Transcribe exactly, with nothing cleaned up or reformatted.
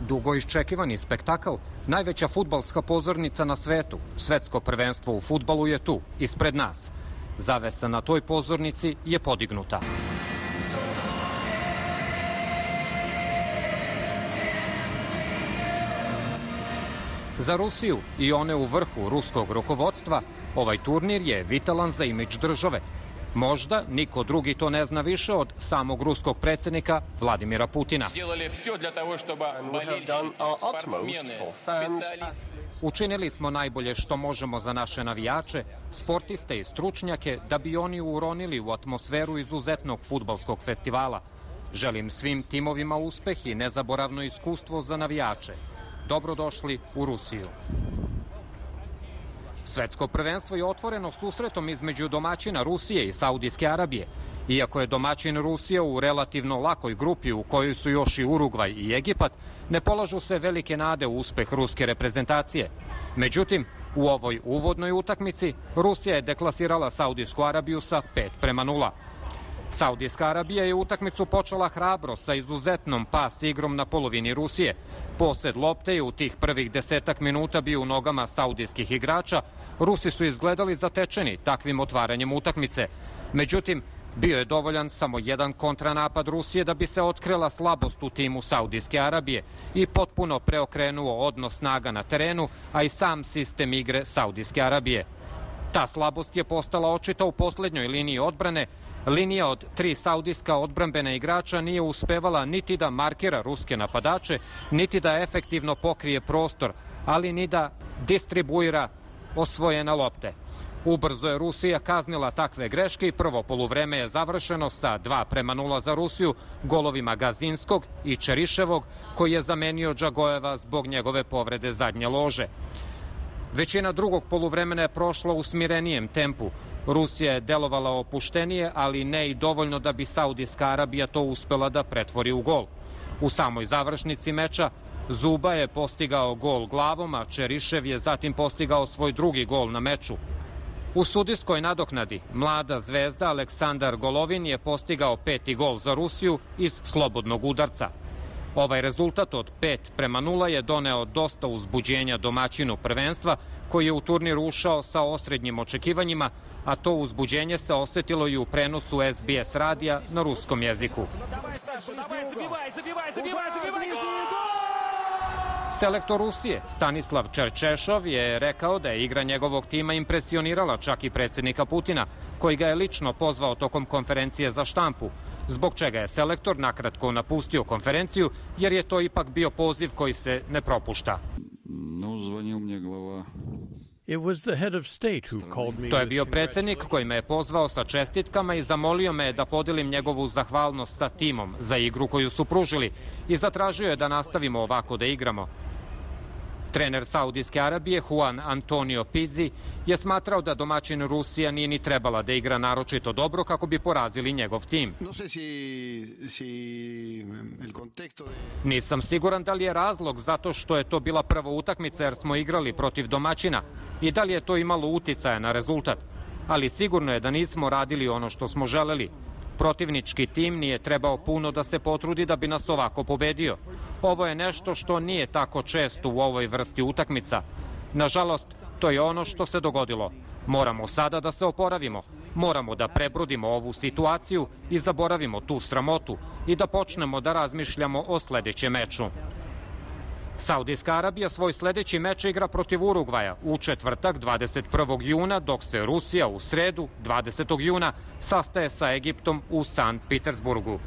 Dugo iščekivani spektakl, najveća fudbalska pozornica na svetu, svetsko prvenstvo u fudbalu je tu, ispred nas. Zavesa na toj pozornici je podignuta. Za Rusiju i one u vrhu ruskog rukovodstva, ovaj turnir je vitalan za imidž države. Možda niko drugi to ne zna više od samog ruskog predsjednika Vladimira Putina. Učinili smo najbolje što možemo za naše navijače, sportiste i stručnjake da bi oni uronili u atmosferu izuzetnog fudbalskog festivala. Želim svim timovima uspeh i nezaboravno iskustvo za navijače. Dobrodošli u Rusiju. Svetsko prvenstvo je otvoreno susretom između domaćina Rusije i Saudijske Arabije. Iako je domaćin Rusija u relativno lakoj grupi u kojoj su još i Urugvaj i Egipat, ne polažu se velike nade u uspeh ruske reprezentacije. Međutim, u ovoj uvodnoj utakmici Rusija je deklasirala Saudijsku Arabiju sa pet prema nula. Saudijska Arabija je utakmicu počela hrabro sa izuzetnom pas igrom na polovini Rusije. Posed lopte je u tih prvih desetak minuta bio u nogama saudijskih igrača. Rusi su izgledali zatečeni takvim otvaranjem utakmice. Međutim, bio je dovoljan samo jedan kontranapad Rusije da bi se otkrila slabost u timu Saudijske Arabije i potpuno preokrenuo odnos snaga na terenu, a i sam sistem igre Saudijske Arabije. Ta slabost je postala očita u poslednjoj liniji odbrane. Linija od tri saudijska odbrambena igrača nije uspevala niti da markira ruske napadače, niti da efektivno pokrije prostor, ali ni da distribuira osvojene lopte. Ubrzo je Rusija kaznila takve greške i prvo poluvreme je završeno sa dva prema nula za Rusiju, golovima Gazinskog i Čeriševog, koji je zamenio Džagojeva zbog njegove povrede zadnje lože. Većina drugog poluvremena je prošla u smirenijem tempu. Rusija je delovala opuštenije, ali ne i dovoljno da bi Saudijska Arabija to uspela da pretvori u gol. U samoj završnici meča Zuba je postigao gol glavom, a Čerišev je zatim postigao svoj drugi gol na meču. U sudijskoj nadoknadi mlada zvezda Aleksandar Golovin je postigao peti gol za Rusiju iz slobodnog udarca. Ovaj rezultat od pet prema nula je doneo dosta uzbuđenja domaćinu prvenstva, koji je u turnir ušao sa osrednjim očekivanjima, a to uzbuđenje se osetilo i u prenosu es be es radija na ruskom jeziku. Selektor Rusije Stanislav Čerčešov je rekao da je igra njegovog tima impresionirala čak i predsjednika Putina, koji ga je lično pozvao tokom konferencije za štampu, zbog čega je selektor nakratko napustio konferenciju, jer je to ipak bio poziv koji se ne propušta. To je bio predsjednik koji me je pozvao sa čestitkama i zamolio me da podelim njegovu zahvalnost sa timom za igru koju su pružili i zatražio je da nastavimo ovako da igramo. Trener Saudijske Arabije Juan Antonio Pizzi je smatrao da domaćin Rusija nije ni trebala da igra naročito dobro kako bi porazili njegov tim. Nisam siguran da li je razlog zato što je to bila prva utakmica jer smo igrali protiv domaćina i da li je to imalo uticaja na rezultat, ali sigurno je da nismo radili ono što smo želeli. Protivnički tim nije trebao puno da se potrudi da bi nas ovako pobedio. Ovo je nešto što nije tako često u ovoj vrsti utakmica. Nažalost, to je ono što se dogodilo. Moramo sada da se oporavimo. Moramo da prebrodimo ovu situaciju i zaboravimo tu sramotu i da počnemo da razmišljamo o sledećem meču. Saudijska Arabija svoj sledeći meč igra protiv Urugvaja u četvrtak dvadeset prvog juna, dok se Rusija u sredu dvadesetog juna sastaje sa Egiptom u Sankt Petersburgu.